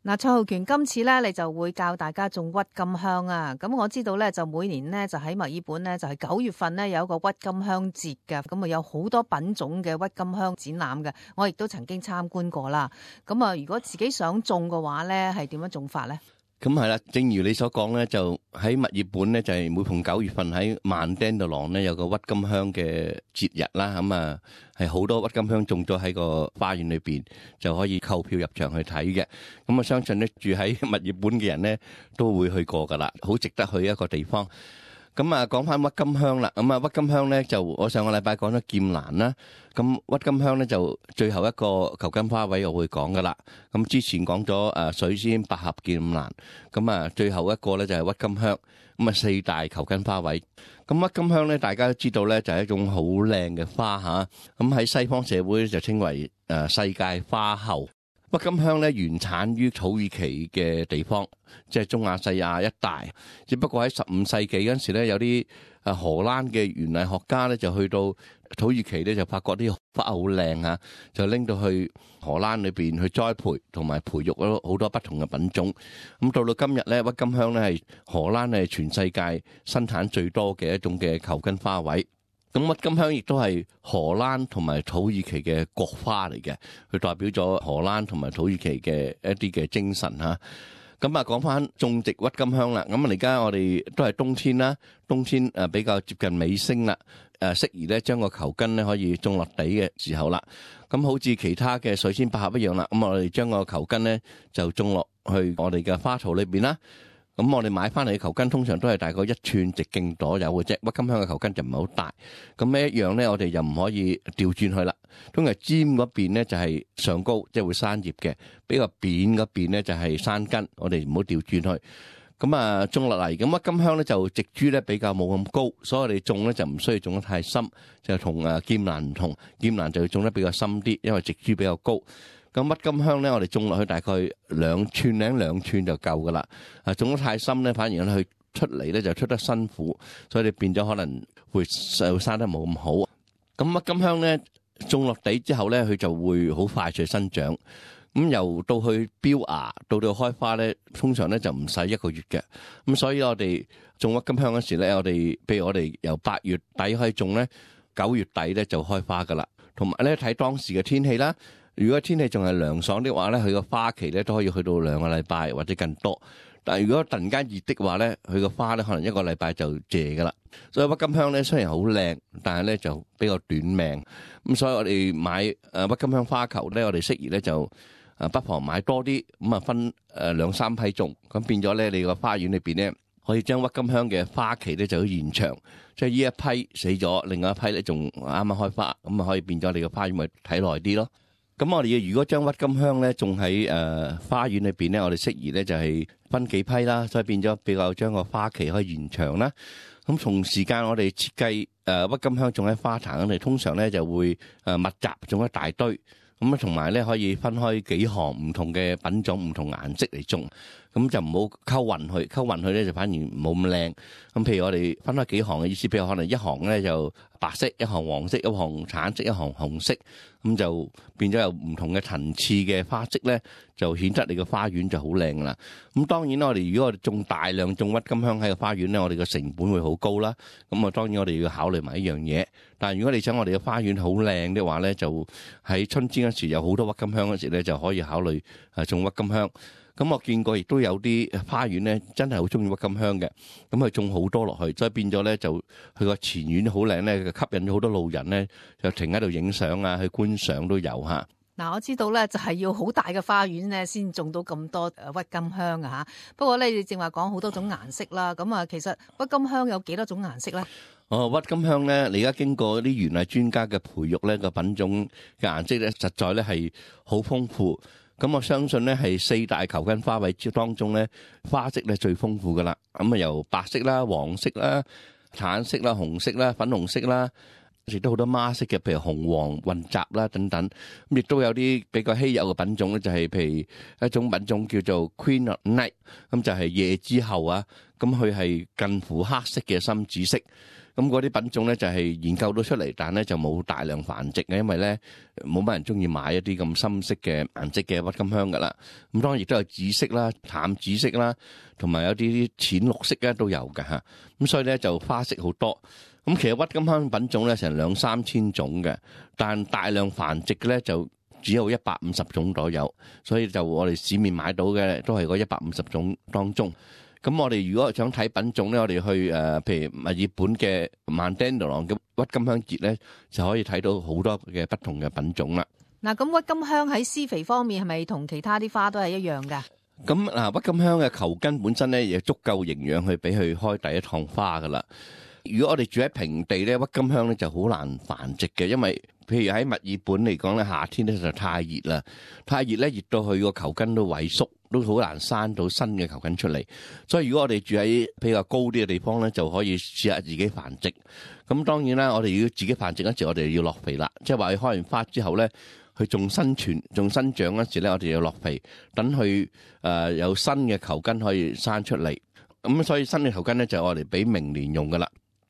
嗱，蔡浩權，今次咧你就會教大家種鬱金香啊！咁我知道咧，就每年呢，就喺墨爾本呢，就係9月份呢，有一個鬱金香節嘅，咁啊有好多品種嘅鬱金香展覽嘅，我亦都曾經參觀過啦。咁啊，如果自己想種嘅話咧，係點樣種法咧？咁係啦，正如你所講咧，就喺墨爾本咧，就係每逢9月份喺曼丹度廊咧有個鬱金香嘅節日啦。咁啊係好多鬱金香種咗喺個花園裏邊，就可以購票入場去睇嘅。咁我相信咧住喺墨爾本嘅人咧都會去過噶啦，好值得去一個地方。咁啊，講翻鬱金香啦。咁啊，鬱金香咧就我上個禮拜講咗劍蘭啦。咁鬱金香咧就最後一個球根花位我會講噶啦。咁之前講咗水仙、百合、劍蘭。咁啊，最後一個咧就係鬱金香。咁啊，4大球根花位。咁鬱金香咧，大家都知道咧就係一種好靚嘅花嚇。咁喺西方社會就稱為世界花后。鬱金香咧原產於土耳其嘅地方，即係中亞細亞一帶。只不過喺15世紀嗰陣時咧，有啲荷蘭嘅園藝學家咧就去到土耳其咧，就發覺啲花好靚啊，就拎到去荷蘭裏邊去栽培同埋培育咗好多不同嘅品種。咁到到今日咧，鬱金香咧係荷蘭係全世界生產最多嘅一種嘅球根花位。咁鬱金香亦都係荷蘭同埋土耳其嘅國花嚟嘅，佢代表咗荷蘭同埋土耳其嘅一啲嘅精神嚇。咁啊，講翻種植鬱金香啦。咁啊，而家我哋都係冬天啦，冬天比較接近尾聲啦，適宜咧將個球根咧可以種落地嘅時候啦。咁好似其他嘅水仙百合一樣啦，咁我哋將個球根咧就種落去我哋嘅花槽裏邊啦。咁我哋買翻嚟嘅球根通常都係大概1寸直徑左右嘅啫，鬱金香嘅球根就唔係好大。咁呢一樣咧，我哋就唔可以調轉去啦。通常尖嗰邊咧就係上高，即係會生葉嘅；比較扁嗰邊咧就係生根。我哋唔好調轉去。咁啊，種落嚟，咁鬱金香咧就植株咧比較冇咁高，所以我哋種咧就唔需要種得太深，就同劍蘭唔同。劍蘭就要種得比較深啲，因為植株比較高。咁鬱金香咧，我哋種落去大概2寸就夠噶啦。種得太深咧，反而佢出嚟咧就出得辛苦，所以你變咗可能會生得冇咁好。咁鬱金香咧種落地之後咧，佢就會好快速生長。咁由到去標芽到開花咧，通常咧就唔使1個月嘅。咁所以我哋種鬱金香嗰時咧，譬如我哋由8月底開始種咧，9月底咧就開花噶啦。同埋咧睇當時嘅天氣啦。如果天氣仲係涼爽的話咧，佢個花期咧都可以去到2個禮拜或者更多。但係如果突然間熱的話咧，佢個花咧可能1個禮拜就謝噶啦。所以鬱金香咧雖然好靚，但係咧就比較短命。咁所以我哋買鬱金香花球咧，我哋適宜咧就不妨買多啲，咁啊分2-3批種，咁變咗咧你個花園裏邊咧可以將鬱金香嘅花期咧就要延長。即係呢一批死咗，另外一批咧仲啱啱開花，咁啊可以變咗你個花園咪睇耐啲咯。咁我哋如果將鬱金香咧種喺花園裏邊咧，我哋適宜咧就係分幾批啦，所以變咗比較將個花期可以延長啦。咁同時間我哋設計鬱金香種喺花壇，我哋通常咧就會密集種一大堆，咁啊同埋咧可以分開幾行唔同嘅品種、唔同顏色嚟種。咁就唔好溝混去咧就反而冇咁靚。咁譬如我哋分開幾行嘅意思，譬如可能一行咧就白色，一行黃色，一行橙色，一行紅色，咁就變咗有唔同嘅層次嘅花色咧，就顯得你個花園就好靚啦。咁當然啦，如果我哋大量種鬱金香喺個花園咧，我哋個成本會好高啦。咁啊，當然我哋要考慮埋一樣嘢。但係如果你想我哋嘅花園好靚嘅話咧，就喺春天嗰時有好多鬱金香嗰時咧，就可以考慮種鬱金香。咁我見過亦都有啲花園咧，真係好中意鬱金香嘅，咁佢種好多落去，所以變咗咧就佢個前院好靚咧，吸引咗好多路人咧，就停喺度影相啊，去觀賞都有嚇。嗱，我知道咧就係要好大嘅花園咧，先種到咁多鬱金香啊嚇。不過咧，你正話講好多種顏色啦，咁啊，其實鬱金香有幾多種顏色咧？鬱金香咧，你而家經過啲園藝專家嘅培育咧，個品種嘅顏色咧，實在咧係好豐富。咁我相信咧係4大球根花位當中咧，花色咧最豐富噶啦。咁啊由白色啦、黃色啦、橙色啦、紅色啦、粉紅色啦、亦都好多孖色嘅，譬如紅黃混雜啦等等。咁亦都有啲比較稀有嘅品種咧，就係譬如一種品種叫做 Queen of Night， 咁就係夜之後啊。咁佢係近乎黑色嘅深紫色。咁嗰啲品種咧就係研究到出嚟，但咧就冇大量繁殖嘅，因為咧冇乜人中意買一啲咁深色嘅顏色嘅鬱金香噶啦。咁當然亦都有紫色啦、淡紫色啦，同埋有啲淺綠色咧都有嘅嚇。咁所以咧就花色好多。咁其實鬱金香品種咧成2-3千種嘅，但大量繁殖嘅咧就只有150種左右。所以就我哋市面買到嘅都係嗰150種當中。咁我哋如果想睇品種咧，我哋去譬如墨爾本嘅曼丹德朗嘅鬱金香節咧，就可以睇到好多嘅不同嘅品種啦。嗱，咁鬱金香喺施肥方面係咪同其他啲花都係一樣㗎？咁鬱金香嘅球根本身咧，亦足夠營養去俾佢開第一趟花噶啦。如果我哋住喺平地咧，鬱金香咧就好難繁殖嘅，因為譬如喺墨爾本嚟講咧，夏天咧就太熱啦，太熱咧熱到佢個球根都萎縮，都好難生到新嘅球根出嚟。所以如果我哋住喺比較高啲嘅地方咧，就可以試下自己繁殖。咁當然啦，我哋要自己繁殖嗰時，我哋要落肥啦，即係話佢開完花之後咧，佢仲生存、仲生長嗰時咧，我哋要落肥，等佢有新嘅球根可以生出嚟。咁所以新嘅球根咧就係我哋俾明年用噶啦。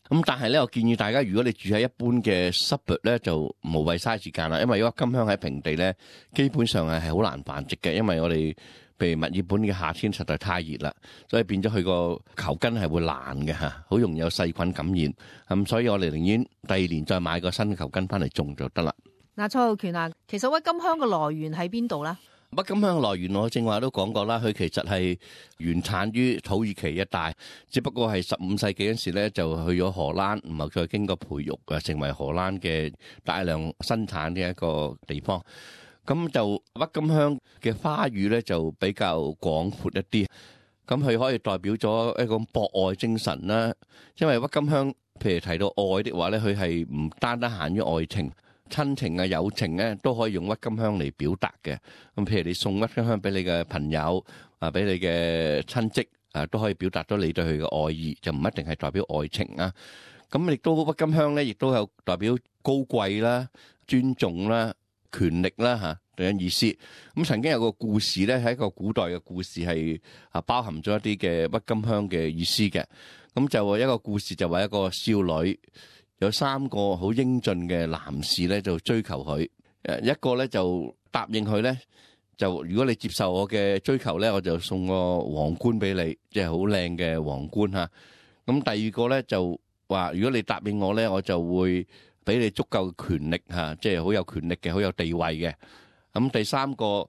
咁但係咧，我建議大家，如果你住喺一般嘅 suburb 咧，就無謂嘥時間啦。因為鬱金香喺平地咧，基本上係好難繁殖嘅，因為我哋譬如墨爾本嘅夏天實在太熱啦，所以變咗佢個球根係會爛嘅嚇，好容易有細菌感染。咁所以我哋寧願第二年再買個新嘅球根翻嚟種就得啦。嗱，蔡浩權啊，其實鬱金香嘅來源喺邊度咧？鬱金香來源我正話都講過啦，佢其實係原產於土耳其一帶，只不過係15世紀嗰時咧就去咗荷蘭，然後再經過培育啊，成為荷蘭嘅大量生產嘅一個地方。咁就鬱金香嘅花語咧就比較廣闊一啲，咁佢可以代表咗一個博愛精神啦。因為鬱金香譬如提到愛的話咧，佢係唔單單限於愛情。親情啊、友情咧都可以用鬱金香嚟表達嘅。咁譬如你送鬱金香俾你嘅朋友啊，俾你嘅親戚啊，都可以表達到你對佢嘅愛意，就唔一定係代表愛情啊。咁亦都鬱金香咧，亦都有代表高貴啦、尊重啦、權力啦嚇等意思。咁曾經有個故事咧，係一個古代嘅故事，係包含咗一啲嘅鬱金香嘅意思嘅。咁就一個故事就話一個少女。有3個好英俊嘅男士咧，就追求佢。一個咧就答應佢咧，就如果你接受我嘅追求咧，我就送個皇冠俾你，即係好靚嘅皇冠嚇。咁第二個咧就話，如果你答應我咧，我就會俾你足夠嘅權力嚇，即係好有權力嘅，好有地位嘅。咁第3個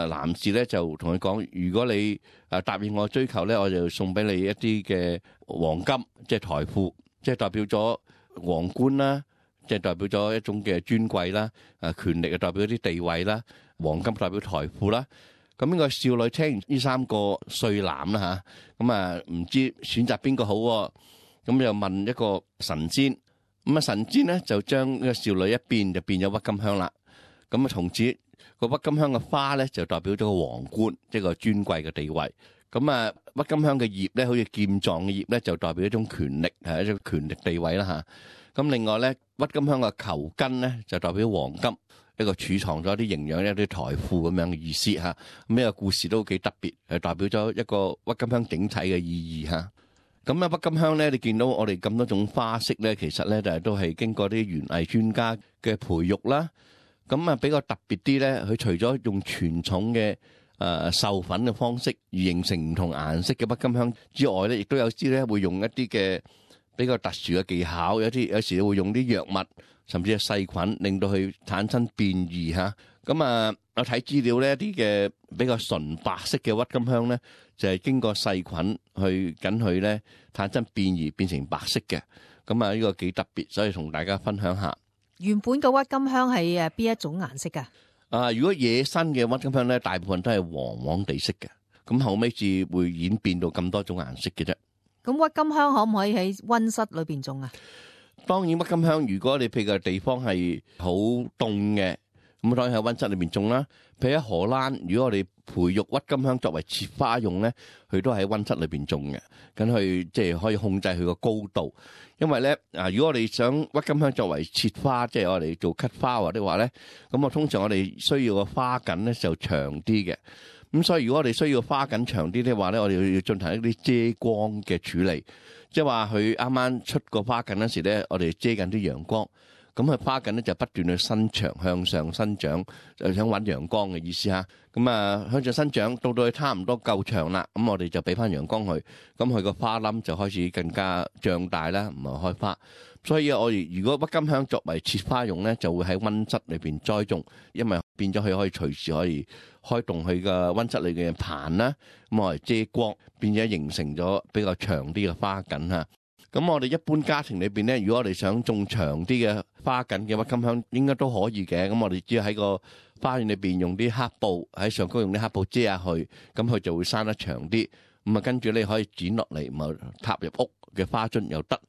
男士咧就同佢講，如果你答應我追求咧，我就送俾你一啲嘅黃金，即係財富，即係代表咗皇冠啦，即係代表咗一種嘅尊貴啦，權力啊代表一啲地位啦，黃金代表財富啦。咁呢個少女聽完呢3個帥男啦嚇，咁唔知選擇邊個好，咁又問一個神仙，咁神仙咧就將呢個少女一變就變咗鬱金香啦。咁從此個鬱金香嘅花咧就代表咗個皇冠，即係個尊貴嘅地位。咁鬱金香嘅葉咧，好似劍狀嘅葉咧，就代表一種權力，係一種權力地位啦嚇。咁另外咧，鬱金香嘅球根咧，就代表黃金，一個儲藏咗一啲營養、一啲財富咁樣嘅意思嚇。咁呢個故事都幾特別，係代表咗一個鬱金香整體嘅意義嚇。咁鬱金香咧，你見到我哋咁多種花色咧，其實咧就係都係經過啲園藝專家嘅培育啦。咁比較特別啲咧，佢除咗用傳統嘅授粉嘅方式而形成唔同顏色嘅鬱金香之外咧，亦都有啲咧會用一啲嘅比較特殊嘅技巧，有時會用啲藥物，甚至係細菌，令到佢產生變異嚇。咁我睇資料咧，一啲嘅比較純白色嘅鬱金香咧，就係經過細菌去緊佢咧產生變異，變成白色嘅。咁呢個幾特別，所以同大家分享下。原本嘅鬱金香係邊一種顏色㗎？如果野生嘅鬱金香咧，大部分都係黃黃地色嘅，咁後尾至會演變到咁多種顏色嘅啫。咁鬱金香可唔可以喺溫室裏邊種啊？當然，鬱金香如果你譬如個地方係好凍嘅，咁當然喺溫室裏邊種啦。譬如喺荷蘭，如果我哋培育鬱金香作為切花用咧，佢都係喺溫室裏邊種嘅，咁佢即係可以控制佢個高度。因為咧如果我哋想鬱金香作為切花，即係我哋做cut flower的話咧，咁通常我哋需要個花梗咧就長啲嘅。咁所以如果我哋需要花梗長啲的話咧，我哋要進行一啲遮光嘅處理，即係話佢啱啱出個花梗嗰時咧，我哋遮緊啲陽光。咁佢花緊咧就不斷去伸長向上生長，就想揾陽光嘅意思嚇。咁向上生長到佢差唔多夠長啦，咁我哋就俾翻陽光佢，咁佢個花冧就開始更加脹大啦，唔係開花。所以我哋如果鬱金香作為切花用咧，就會喺溫室裏邊栽種，因為變咗佢可以隨時可以開動佢嘅溫室裏嘅棚啦，咁我嚟遮光，變咗形成咗比較長啲嘅花梗嚇。咁我哋一般家庭裏邊咧，如果我哋想種長啲嘅花梗嘅鬱金香，應該都可以嘅。咁我哋只要喺個花園裏邊用啲黑布喺上高用啲黑布遮下去，咁佢就會生得長啲。咁跟住你可以剪落嚟，咁插入屋嘅花樽又得。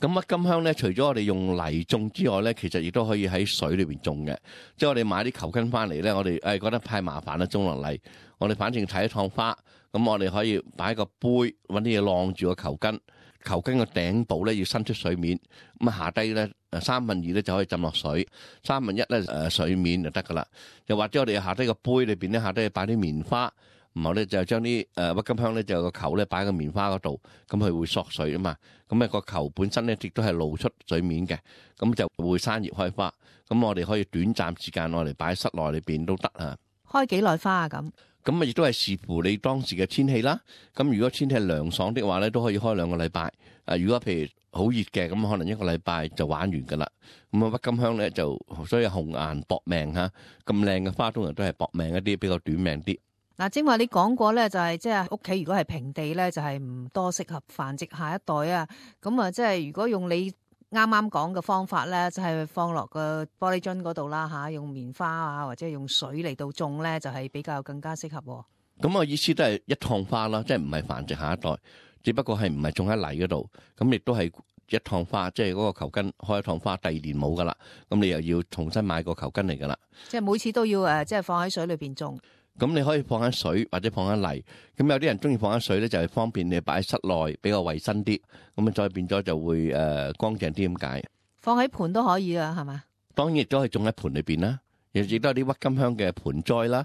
咁鬱金香咧，除咗我哋用泥種之外咧，其實亦都可以喺水裏邊種嘅。即係我哋買啲球根翻嚟咧，我哋覺得太麻煩啦，種落嚟。我哋反正睇一趟花，咁我哋可以擺個杯，揾啲嘢晾住個球根。球根嘅頂部咧要伸出水面，咁下低咧2/3咧就可以浸落水，1/3咧水面就得噶啦。又或者我哋下低個杯裏邊咧，下低擺啲棉花，然後咧就將啲鬱金香咧就有個球咧擺喺個棉花嗰度，咁佢會索水啊嘛。咁個球本身咧亦都係露出水面嘅，咁就會生葉開花。咁我哋可以短暫時間我哋擺喺室內裏邊都得啊。開幾耐花啊？咁亦都係視乎你當時嘅天氣啦。咁如果天氣涼爽的話咧，都可以開2個禮拜。如果譬如好熱嘅，咁可能1個禮拜就玩完噶啦。咁鬱金香咧就所以紅顏薄命嚇，咁靚嘅花通常都係薄命一啲，比較短命啲。嗱，正話你講過咧，就係即係屋企如果係平地咧，就係唔多適合繁殖下一代啊。咁即係如果用你啱啱講嘅方法咧，就係放落個玻璃樽嗰度啦嚇，用棉花啊或者用水嚟到種咧，就係比較更加適合。咁我意思都係一趟花啦，即係唔係繁殖下一代，只不過係唔係種喺泥嗰度，咁亦都係一趟花，即係嗰個球根開一趟花，第2年冇噶啦，咁你又要重新買個球根嚟噶啦。即係每次都要即係放喺水裏邊種。咁你可以放喺水或者放喺泥，咁有啲人中意放喺水咧，就係方便你擺喺室內比較衛生啲，咁再變咗就會乾淨啲咁解。放喺盆都可以啊，係嘛？當然亦都可以種喺盆裏邊啦，亦都有啲鬱金香嘅盆栽啦，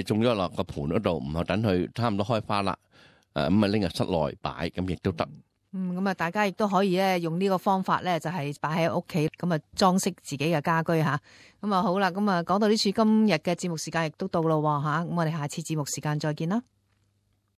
種咗落個盆嗰度，唔係等佢差唔多開花啦，咁拎入室內擺，咁亦都得。咁大家亦都可以咧用呢個方法咧，就係擺喺屋企，咁裝飾自己嘅家居吓。咁好啦，咁講到呢處，今日嘅節目時間亦都到咯吓，咁我哋下次節目時間再見啦。